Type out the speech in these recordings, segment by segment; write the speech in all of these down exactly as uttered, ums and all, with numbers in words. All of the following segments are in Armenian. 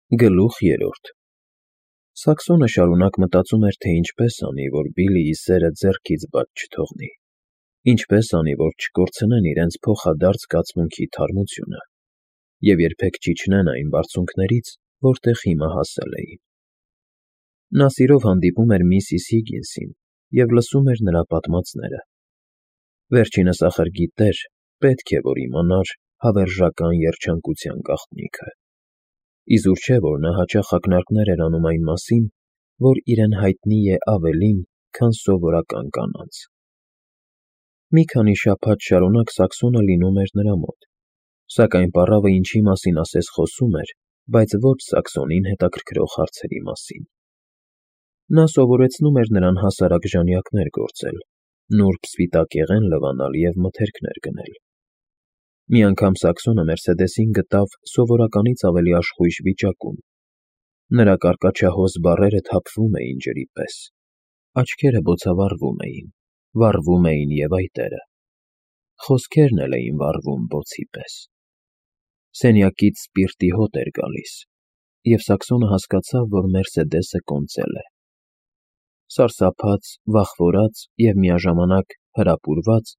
Գլուխ երրորդ Սաքսոնը շարունակ մտածում էր, թե ինչպես անի, որ Բիլլիի սերը ձեռքից բաց չթողնի, ինչպես անի, որ չկորցնեն իրենց փոխադարձ զգացմունքի թարմությունը և երբեք չիջնեն այն բարձունքներից, որտեղ հիմա հասել էին։ Նա սիրով հանդիպում էր միսիս Հիգինսին և լսում էր նրա պատմածները։ Վերջինս ախր գիտեր, պետք է որ իմանար հավերժական երջանկության գաղտնիքը։ Իզուր չէ, որ նա հաճախ ակնարկներ էր անում այն մասին, որ իրեն հայտնի է ավելին, քան սովորական կանանց։ Մի քանի շաբաթ շարունակ Սաքսոնը լինում էր նրա մոտ, սակայն պառավը ինչի մասին ասես խոսում էր, բայց ոչ Սաքսոնին հետաքրքրող հարցերի մասին։ Նա սովորեցնում էր նրան հասարակ ժանյակներ գործել, նուրբ սպիտակեղեն լվանալ և մթերքներ գնել։ Մի անգամ Սաքսոնը Մերսեդեսին գտավ սովորականից ավելի աշխույժ վիճակում։ Նրա կարկաչահոս բառերը թափվում էին ջրի պես, աչքերը բոցավառվում էին, վառվում էին և այտերը, խոսքերն էլ էին վառվում բոցի պես։ Սենյակից սպիրտի հոտ էր գալիս, և Սաքսոնը հասկացավ, որ Մերսեդեսը կոնծել է։ Սարսափած, վախվորած և միաժամանակ հրապուրված՝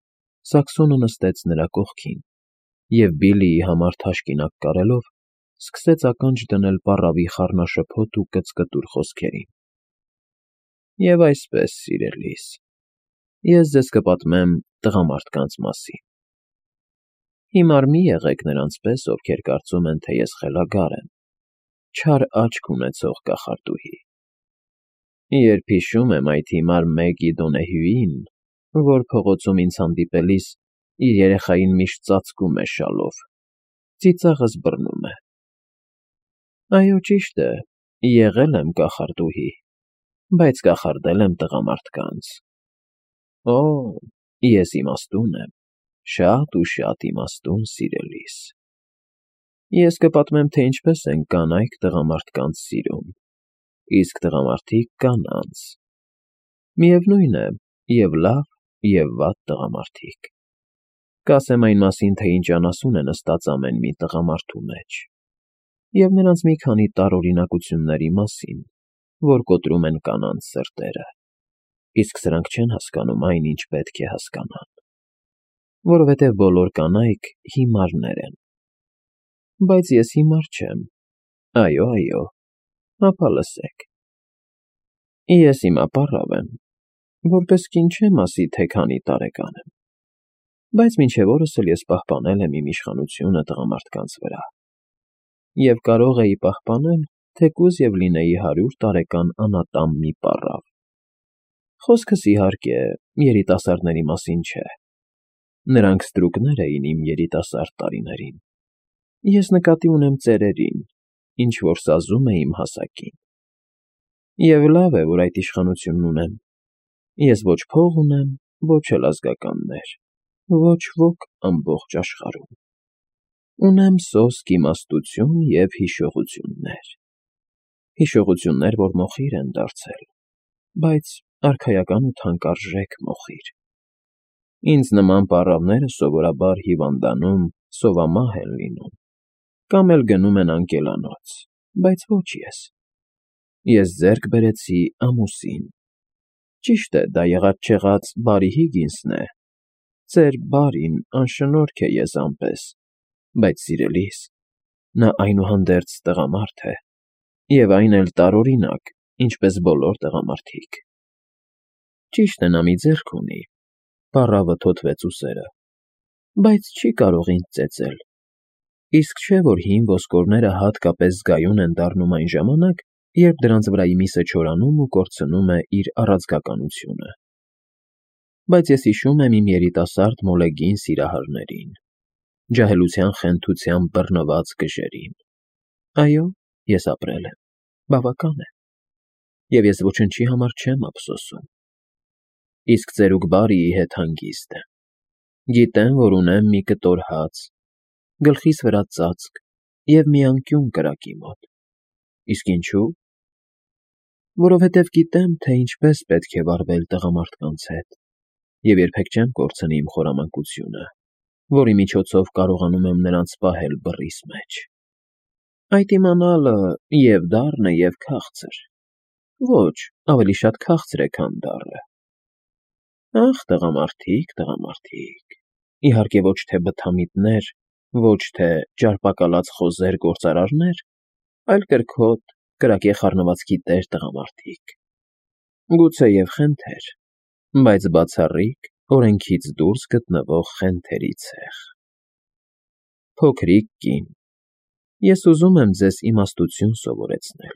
Սաքսոնը նստեց նրա կողքին և, Բիլլիի համար թաշկինակ կարելով, սկսեց ականջ դնել պառավի խառնաշփոթ ու կծկտուր խոսքերին։ «Եվ այսպես, սիրելիս, ես ձեզ կպատմեմ տղամարդկանց մասին։ Հիմար մի եղեք նրանց պես, ովքեր կարծում են, թե ես խելագար եմ, չար աչք ունեցող կախարդուհի։ Երբ հիշում եմ այդ հիմար Մեգի Դոնեհյուին, որ փողոցում ինձ հանդիպելիս իր երեխային միշտ ծածկում է շալով, ծիծաղս բռնում է։ Այո, ճիշտ է, եղել եմ կախարդուհի, բայց կախարդել եմ տղամարդկանց։ Օ, ես իմաստուն եմ, շատ ու շատ իմաստուն, սիրելիս։ Ես կպատմեմ, թե ինչպես են կանայք տղամարդկանց սիրում, իսկ տղամարդիկ՝ կանանց։ Միևնույն է, և լավ, և վատ տղամարդիկ։ Կասեմ այն մասին, թե ինչ անասուն է նստած ամեն մի տղամարդու մեջ, և նրանց մի քանի տարօրինակությունների մասին, որ կոտրում են կանանց սրտերը, իսկ սրանք չեն հասկանում այն, ինչ պետք է հասկանան, որովհետև բոլոր կանայք հիմարներ են։ Բայց ես հիմար չեմ։ Այո, այո, հապա լսեք։ Ես հիմա պառավ եմ, որպես կին չեմ ասի, թե քանի տարեկան եմ, բայց մինչև օրս էլ ես պահպանել եմ իմ իշխանությունը տղամարդկանց վրա և կարող էի պահպանել, թեկուզ և լինեի հարյուր տարեկան անատամ մի պառավ։ Խոսքս, իհարկե, երիտասարդների մասին չէ։ Նրանք ստրուկներ էին իմ երիտասարդ տարիներին։ Ես նկատի ունեմ ծերերին, ինչ֊որ սազում է իմ հասակին։ Եվ լավ է, որ այդ իշխանությունն ունեմ։ Ես ոչ փող ունեմ, ոչ էլ ազգականներ, ոչ ոք ամբողջ աշխարհում։ Ունեմ սոսկ իմաստություն և հիշողություններ։ Հիշողություններ, որ մոխիր են դարձել, բայց արքայական ու թանկարժեք մոխիր։ Ինձ նման պառավները սովորաբար հիվանդանում, սովամահ են լինում, կամ էլ գնում են անկելանոց, բայց ոչ ես։ Ես ձեռք բերեցի ամուսին։ Ճիշտ է, դա եղած֊չեղած բարի Հիգինսն է, ծեր բարին, անշնորհք է եզան պես, բայց, սիրելիս, նա այնուհանդերձ տղամարդ է, և այն էլ տարօրինակ, ինչպես բոլոր տղամարդիկ։ Ճիշտ է, նա մի ձեռք ունի, պառավը թոթվեց ուսերը, բայց չի կարող ինձ ծեծել, իսկ չէ, որ հին ոսկորները հատկապես զգայուն են դառնում այն ժամանակ, երբ դրանց վրայի միսը չորանում ու կորցնում է իր առաձգականությունը։ Բայց ես հիշում եմ իմ երիտասարդ մոլեգին սիրահարներին, ջահելության խենթությամբ բռնված գժերին։ Այո, ես ապրել եմ, բավական է, և ես ոչնչի համար չեմ ափսոսում։ Իսկ ծերուկ Բարիի հետ հանգիստ եմ։ Գիտեմ, որ ունեմ մի կտոր հաց, գլխիս վրա ծածկ և մի անկյուն կրակի մոտ։ Իսկ ինչո՞ւ։ Որովհետև գիտեմ, թե ինչպես պետք է վարվել տղամարդկանց հետ, և երբեք չեմ կորցնի իմ խորամանկությունը, որի միջոցով կարողանում եմ նրանց պահել բռիս մեջ։ Այդ իմանալը և դառն է, և քաղցր, ոչ, ավելի շատ քաղցր է, քան դառը։ Ախ, տղամարդիկ, տղամարդիկ, իհարկե ոչ թե բթամիտներ, ոչ թե ճարպակալած խոզեր գործարարներ, այլ կրքոտ, կրակե խառնվածքի տեր տղամարդիկ, գուցեև խենթեր, բայց բացառիկ, օրենքից դուրս գտնվող խենթերի ցեղ։ Փոքրիկ կին, ես ուզում եմ ձեզ իմաստություն սովորեցնել,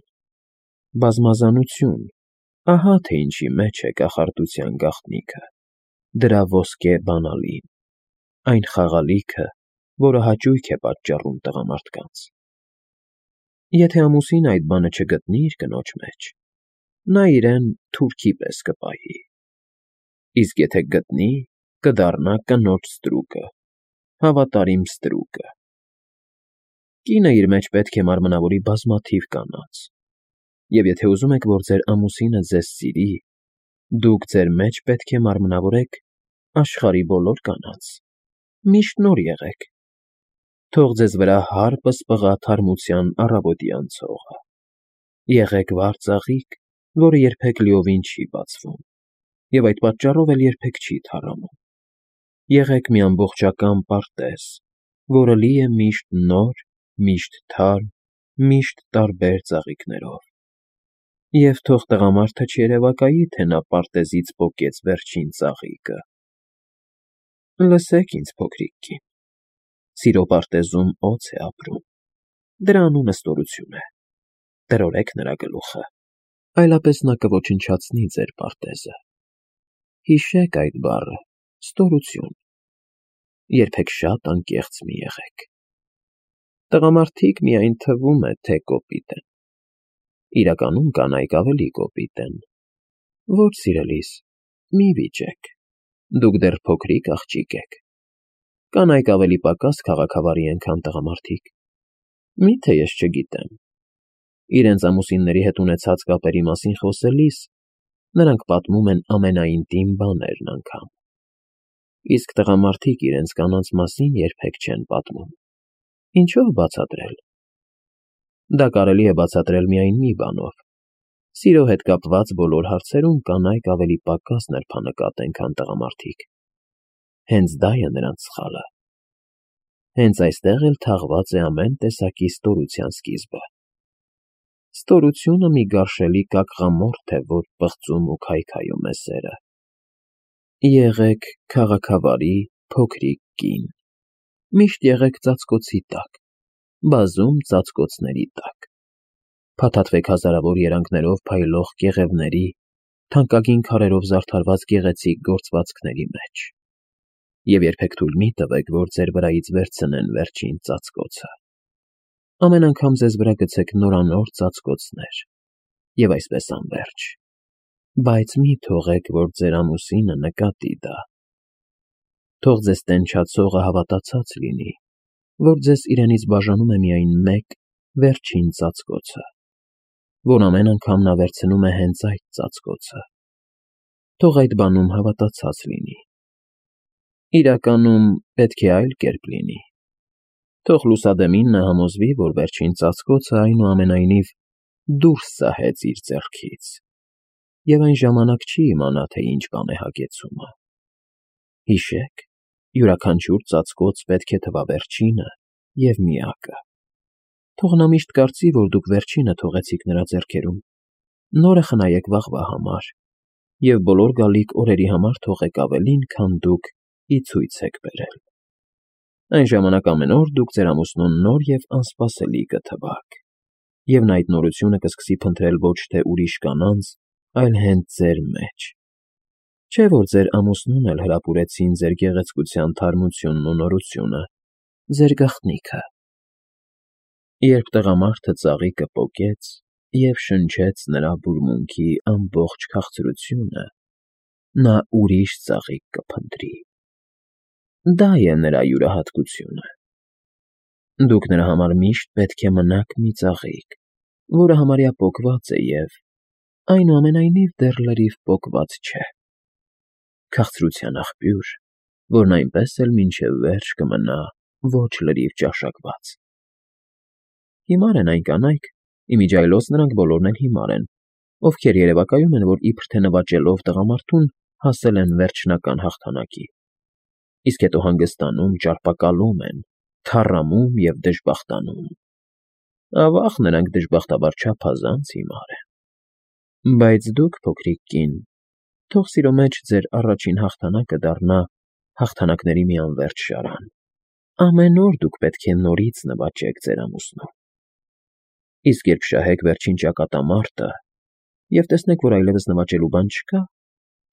բազմազանություն, ահա թե ինչի մեջ է կախարդության գաղտնիքը, դրա ոսկե բանալին, այն խաղալիքը, որը հաճույք է պատճառում տղամարդկանց։ Եթե ամուսինը այդ բանը չգտնի իր կնոջ մեջ, նա իրեն թուրքի պես կպահի, իսկ եթե գտնի, կդառնա կնոջ ստրուկը, հավատարիմ ստրուկը։ Կինը իր մեջ պետք է մարմնավորի բազմաթիվ կանանց, և եթե ուզում եք, որ ձեր ամուսինը ձեզ սիրի, դուք ձեր մեջ պետք է մարմնավորեք աշխարհի բոլոր կանանց, միշտ նոր եղեք, թող ձեզ վրա հարպը սպղա թարմության առավոտյան ցողը, եղեք վառ ծաղիկ, որը երբեք լիովին չի բացվում, և այդ պատճառով էլ երբեք չի թառամում, եղեք մի ամբողջական պարտեզ, որը լի է միշտ նոր, միշտ թարմ, միշտ տարբեր ծաղիկներով, և թող տղամարդը չերևակայի, թե նա պարտեզից պոկեց վերջին ծաղիկը։ Լսեք ինձ, փոքրիկ կին, սիրո պարտեզում օձ է ապրում, դրա անունը ստորություն է, տրորեք նրա գլուխը, այլապես նա կոչնչացնի ձեր պարտեզը։ Հիշեք այդ բառը, ստորություն, երբեք շատ անկեղծ մի եղեք։ Տղամարդիկ միայն թվում է, թե կոպիտ են, իրականում կանայք ավելի կոպիտ են։ Ոչ, սիրելիս, մի վիճեք, դուք դեռ փոքրիկ աղջիկ եք, կանայք ավելի պակաս քաղաքավարի են, քան տղամարդիկ։ Մի՞թե ես չգիտեմ։ Իրենց ամուսինների հետ ունեցած կապերի մասին խոսելիս նրանք պատմում են ամենաինտիմ բաներն անգամ, իսկ տղամարդիկ իրենց կանանց մասին երբեք չեն պատմում։ Ինչո՞վ բացատրել։ Դա կարելի է բացատրել միայն մի բանով. սիրո հետ կապված բոլոր հարցերում կանայք ավելի պակաս նրբանկատ են, քան տղամարդիկ։ Հենց դա է նրանց սխալը։ Հենց այստեղ էլ թաղված է ամեն տեսակի ստորության սկիզբը։ Ստորությունը մի գարշելի կակղամորթ է, որ պղծում ու քայքայում է սերը։ Եղեք քաղաքավարի փոքրիկ կին, միշտ եղեք ծածկոցի տակ, բազում ծածկոցների տակ, փաթաթվեք հազարավոր երանգներով փայլող կեղևների, թանկագին քարերով զարդարված գեղեցիկ գործվածքների մեջ, և երբեք թույլ մի տվեք, որ ձեր վրայից վերցնեն վերջին ծածկոցը։ Ամեն անգամ ձեզ վրա գցեք նորանոր ծածկոցներ, և այսպես անվերջ, բայց մի թողեք, որ ձեր ամուսինը նկատի դա։ Թող ձեզ տենչացողը հավատացած լինի, որ ձեզ իրենից բաժանում է միայն մեկ վերջին ծածկոցը, որ ամեն անգամ նա վերցնում է հենց այդ ծածկոցը։ Թող այդ բանում հավատացած լինի։ Իրականում պետք է այլ կերպ լինի։ Թող լուսադեմին նա համոզվի, որ վերջին ծածկոցը այնուամենայնիվ դուրս սահեց իր ձեռքից, և այն ժամանակ չի իմանա, թե ինչ բան է հագեցումը։ Հիշեք, յուրաքանչյուր ծածկոց պետք է թվա վերջինը և միակը։ Թող նա միշտ կարծի, որ դուք վերջինը թողեցիք նրա ձեռքերում, նորը խնայեք վաղվա համար, և բոլոր գալիք օրերի համար թողեք ավելին, քան դուք ի ցույց եք բերել։ Այն ժամանակ ամեն օր դուք ձեր ամուսնուն նոր և անսպասելի կթվաք, և նա այդ նորությունը կսկսի փնտրել ոչ թե ուրիշ կանանց, այլ հենց ձեր մեջ։ Չէ՞ որ ձեր ամուսնուն էլ հրապուրեցին ձեր գեղեցկության թարմությունն ու նորությունը, ձեր գաղտնիքը։ Երբ տղամարդը ծաղիկը պոկեց և շնչեց նրա բուրմունքի ամբողջ քաղցրությունը, նա ուրիշ ծաղիկ կփնտրի։ Դա է նրա յուրահատկությունը։ Դուք նրա համար միշտ պետք է մնաք մի ծաղիկ, որը համարյա պոկված է և, այնուամենայնիվ, դեռ լրիվ պոկված չէ։ Քաղցրության աղբյուր, որն այնպես էլ մինչև վերջ կմնա ոչ լրիվ ճաշակված։ Հիմար են այն կանայք, իմիջիայլոց նրանք բոլորն էլ հիմար են, ովքեր երևակայում են, որ իբր թե նվաճելով տղամարդուն հասել են վերջնական հաղթանակի, իսկ հետո հանգստանում, ճարպակալում են, թառամում և դժբախտանում։ Ավաղ, նրանք դժբախտաբար չափազանց հիմար են։ Բայց դուք, փոքրիկ կին, թող սիրո մեջ ձեր առաջին հաղթանակը դառնա հաղթանակների մի անվերջ շարան։ Ամեն օր դուք պետք է նորից նվաճեք ձեր ամուսնուն։ Իսկ երբ շահեք վերջին ճակատամարտը և տեսնեք, որ այլևս նվաճելու բան չկա,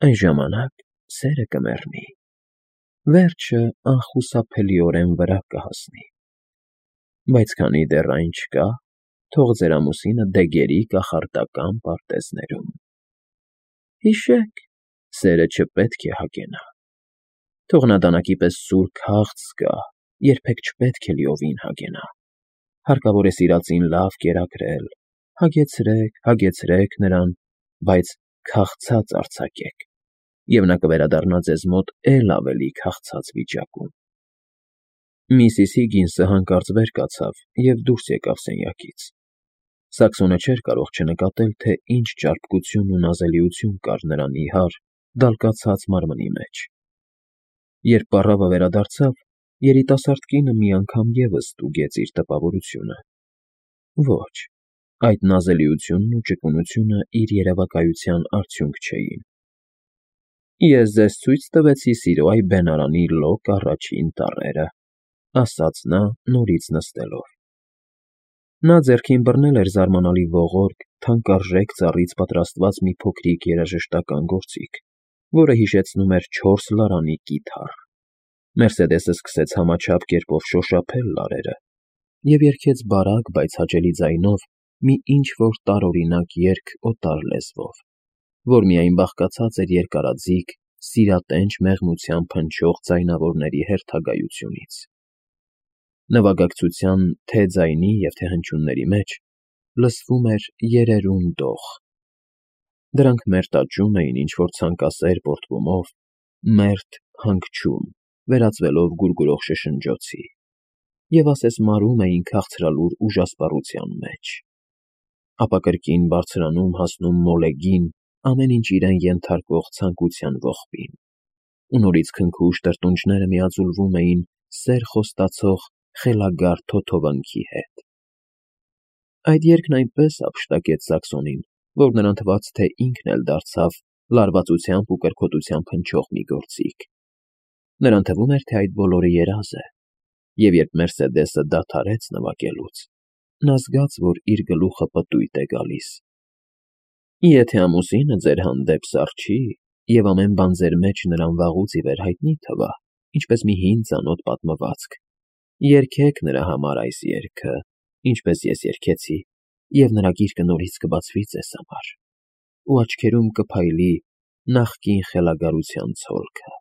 այն ժամանակ սերը կմեռնի, վերջը անխուսափելիորեն վրա կհասնի։ Բայց քանի դեռ այն չկա, թող ձեր ամուսինը դեգերի կախարդական պարտեզներում։ Հիշեք, սերը չպետք է հագենա։ Թող նա դանակի պես սուր քաղց զգա, երբեք չպետք է լիովին հագենա։ Հարկավոր է սիրածին լավ կերակրել, հագեցրեք, հագեցրեք նրան, բայց քաղցած արձակեք, և նա կվերադառնա ձեզ մոտ էլ ավելի քաղցած վիճակում։ Միսիս Հիգինսը հանկարծ վեր կացավ և դուրս եկավ սենյակից։ Սաքսոնը չէր կարող չնկատել, թե ինչ ճարպկություն ու նազելիություն կար նրա նիհար, դալկացած մարմնի մեջ։ Երբ պառավը վերադարձավ, երիտասարդ կինը մի անգամ ևս ստուգեց իր տպավորությունը։ Ոչ, այդ նազելիությունն ու ճկունությունը իր երևակայության արդյունք չէին։ Ես ձեզ ցույց տվեցի սիրո այ բենարանի լոկ առաջին տառերը, ասաց նա նորից նստելով։ Նա ձեռքին բռնել էր զարմանալի ողորկ, թանկարժեք ծառից պատրաստված մի փոքրիկ երաժշտական գործիք, որը հիշեցնում էր չորս լարանի կիթառ։ Մերսեդեսը սկսեց համաչափ կերպով շոշափել լարերը և երգեց բարակ, բայց հաճելի ձայնով մի ինչ-որ տարօրինակ երգ օտար լեզվով, որ միայն բաղկացած էր երկարաձիգ, սիրատենչ մեղմությամբ փնչող ձայնավորների հերթագայությունից։ Նվագակցության թե՛ ձայնի և թե՛ հնչյունների մեջ լսվում էր երերուն դող։ Դրանք մերթ աճում էին ինչ֊որ ցանկասեր պոռթկումով, մերթ հանգչում, վերածվելով գուրգուրող շշնջոցի, և ասես մարում էին քաղցրալուր ուժասպառության մեջ, ապա կրկին բարձրանում, հասնում մոլեգին, ամեն ինչ իրեն ենթարկող ցանկության ողբին, ու նորից քնքուշ տրտունջները միաձուլվում էին սեր խոստացող խելագար թոթովանքի հետ։ Այդ երգն այնպես ապշտակեց Սաքսոնին, որ նրան թվաց, թե ինքն էլ դարձավ լարվածությամբ ու կրքոտությամբ հնչող մի գործիք։ Նրան թվում էր, թե այդ բոլորը երազ է, և երբ Մերսեդեսը դադարեց նվագելուց, նա զգաց, որ իր գլուխը պտույտ է գալիս։ Եթե ամուսինը ձեր հանդեպ սառչի և ամեն բան ձեր մեջ նրան վաղուց ի վեր հայտնի թվա, ինչպես մի հին ծանոթ պատմվածք, երգեք նրա համար այս երգը, ինչպես ես երգեցի, և նրա գիրկը նորից կբացվի ձեզ համար, ու աչքերում կփայլի նախկին խելագարության ցոլքը։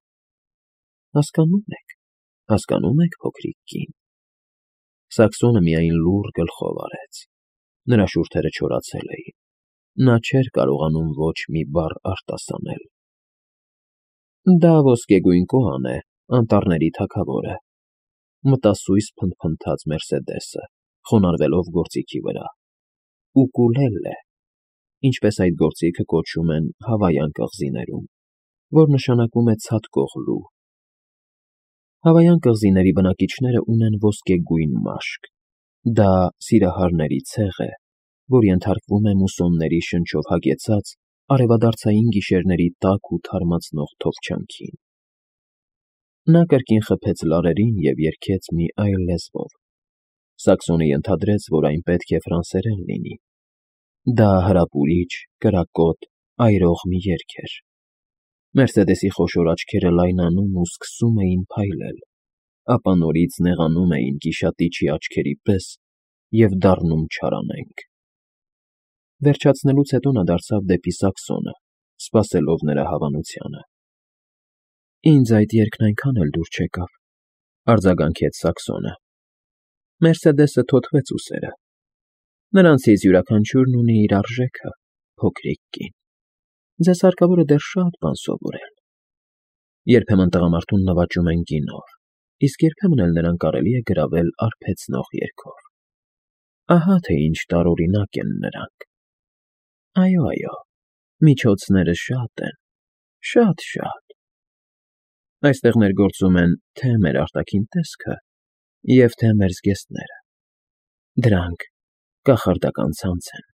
Հասկանո՞ւմ եք, հասկանո՞ւմ եք, փոքրիկ կին։ Սաքսոնը միայն լուռ գլխով արեց։ Նրա շուրթերը չորացել էին։ Նա չէր կարողանում ոչ մի բառ արտասանել։ Դա ոսկեգույն կոան է, անտառների թագավորը, մտասույս փնթփնթաց Մերսեդեսը, խոնարհվելով գործիքի վրա։ Ուկուլելե, ինչպես այդ գործիքը կոչում են Հավայան կղզիներում, որ նշանակում է ցատկող լու։ Հավայան կղզիների բնակիչները ունեն ոսկեգույն մաշկ։ Դա սիրահարների ցեղ է, որ ենթարկվում է մուսոնների շնչով հագեցած արևադարձային գիշերների տաք ու թարմացնող թովչանքին։ Նա կրկին խփեց լարերին և երգեց մի այլ լեզվով։ Սաքսոնը ենթադրեց, որ այն պետք է ֆրանսերեն լինի։ Դա հրապուրիչ, կրակոտ, այրող մի երգ էր։ Մերսեդեսի խոշոր աչքերը լայնանում ու սկսում էին փայլել, ապա նորից նեղանում էին գիշատիչի աչքերի պես և դառնում չարանենգ։ Վերջացնելուց հետո նա դարձավ դեպի Սաքսոնը, սպասելով նրա հավանությանը։ Ինձ այդ երգն այնքան էլ դուր չեկավ, արձագանքեց Սաքսոնը։ Մերսեդեսը թոթվեց ուսերը։ Նրանցից յուրաքանչյուրն ունի իր արժեքը, փոքրիկ կին։ Ձեզ հարկավոր է դեռ շատ բան սովորել։ Երբեմն տղամարդուն նվաճում են գինով, իսկ երբեմն էլ նրան կարելի է գրավել արբեցնող երգով։ Ահա թե ինչ տարօրինակ են նրանք։ Այո, այո, միջոցները շատ են, շատ֊շատ։ Այստեղ ներգործում են թե՛ մեր արտաքին տեսքը և թե՛ մեր զգեստները։ Դրանք կախարդական ցանց են։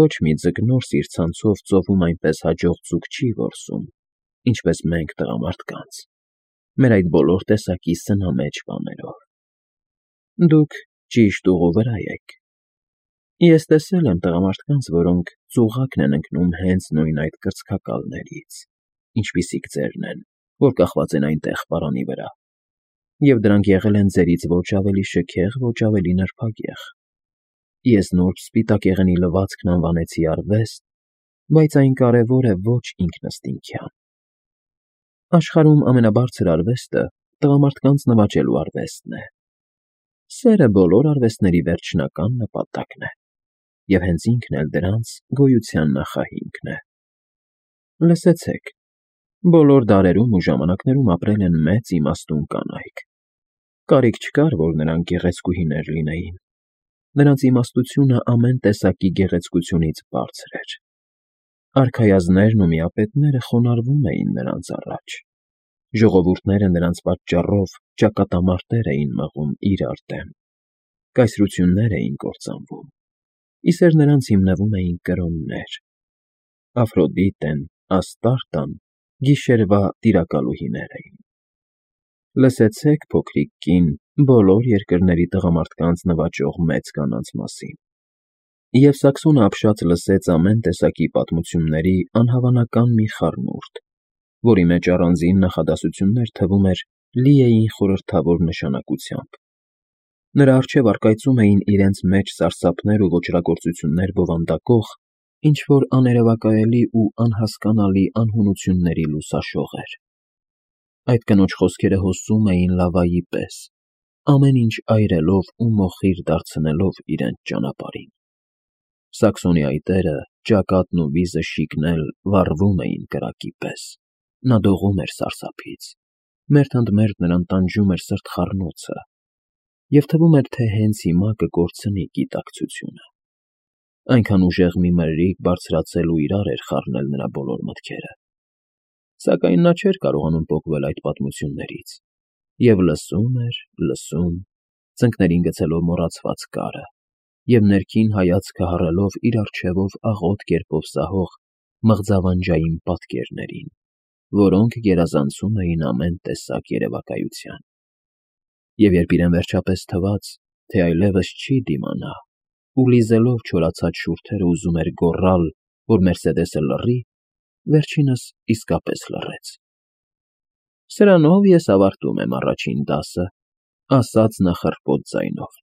Ոչ մի ձկնորս իր ցանցով ծովում այնպես հաջող ձուկ չի որսում, ինչպես մենք տղամարդկանց, մեր այդ բոլոր տեսակի սնամեջ բաներով։ Դուք ճիշտ ուղու վրա եք։ Ես տեսել եմ տղամարդկանց, որոնք ծուղակն են ընկնում հենց նույն այդ կրծքակալներից, ինչպիսիք ձերն են, որ կախված են այնտեղ պարանի վրա, և դրանք եղել են ձերից ոչ ավելի շքեղ, ոչ ավելի նրբագեղ։ Ես նուրբ սպիտակեղենի լվացքն անվանեցի արվեստ, բայց այն կարևոր է ոչ ինքնըստինքյան։ Աշխարհում ամենաբարձր արվեստը տղամարդկանց նվաճելու արվեստն է։ Սերը բոլոր արվեստների վերջնական նպատակն է, և հենց ինքն էլ դրանց գոյության նախահիմքն է։ Լսեցեք, բոլոր դարերում ու ժամանակներում ապրել են մեծ իմաստուն կանայք։ Կարիք չկար, որ նրանք գեղեցկուհիներ լինեին։ Նրանց իմաստությունը ամեն տեսակի գեղեցկությունից բարձր էր։ Արքայազններն ու միապետները խոնարհվում էին նրանց առաջ։ Ժողովուրդները նրանց պատճառով ճակատամարտեր էին մղում իրար դեմ, կայսրություններ էին կործանվում, իսեր նրանց հիմնվում էին կրոններ։ Աֆրոդիտեն, Աստարտան գիշերվա տիրակալուհիներ էին։ Լսեցեք, փոքրիկ կին, բոլոր երկրների տղամարդկանց նվաճող մեծ կանանց մասին։ Եվ Սաքսոնը ապշած լսեց ամեն տեսակի պատմությունների անհավանական մի խառնուրդ, որի մեջ առանձին նախադասություններ, թվում էր, լի էին խորհրդավոր նշանակությամբ։ Նրա առջև առկայծում էին իրենց մեջ սարսափներ ու ոճրագործություններ բովանդակող ինչ֊որ աներևակայելի ու անհասկանալի անհունությունների լուսաշողեր։ Այդ կնոջ խոսքերը հոսում էին լավայի պես, ամեն ինչ այրելով ու մոխիր դարձնելով իրենց ճանապարհին։ Սաքսոնի այտերը, ճակատն ու վիզը շիկն էլ վառվում էին կրակի պես, նա դողում էր սարսափից, մերթ ընդ մերթ նրան տանջում էր սրտխառնոցը, և թվում էր, թե հենց հիմա կկորցնի գիտակցությունը։ Այնքան ուժեղ մի մրրիկ բարձրացել ու իրար էր խառնել նրա բոլոր մտքերը։ Սակայն նա չէր կարողանում պոկվել այդ պատմություններից, և լսում էր, լսում, ծնկներին գցելով մոռացված կարը, և ներքին հայացքը հառելով իր առջևով աղոտ կերպով սահող մղձավանջային պատկերներին, որոնք գերազանցում էին ամեն տեսակ երևակայության։ Եվ երբ իրեն վերջապես թվաց, թե այլևս չի դիմանա, ու լիզելով չորացած շուրթերը ուզում էր գոռալ, որ Մերսեդեսը լռի, վերջինս իսկապես լռեց։ Սրանով ես ավարտում եմ առաջին դասը, ասաց նա խռպոտ ձայնով,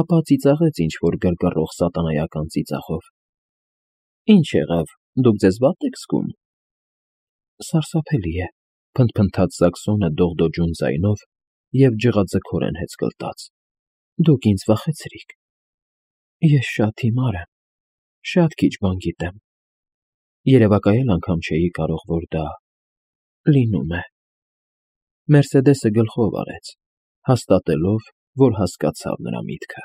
ապա ծիծաղեց ինչ֊որ գրգռող սատանայական ծիծաղով։ Ինչ եղավ, դուք ձեզ վատ եք զգում։ Սարսափելի է, փնթփնթաց Սաքսոնը դողդոջուն ձայնով և ջղաձգորեն հեծկլտաց։ Դուք ինձ վախեցրիք։ Ես շատ հիմար եմ, շատ քիչ բան գիտեմ։ Երևակայել անգամ չէի կարող, որ դա լինում է։ Մերսեդեսը գլխով արեց, հաստատելով, որ հասկացավ նրա միտքը։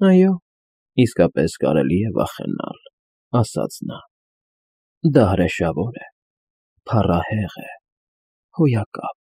Այո, իսկապես կարելի է վախենալ, ասաց նա։ Դա հրեշավոր է, փառահեղ է, հոյակապ։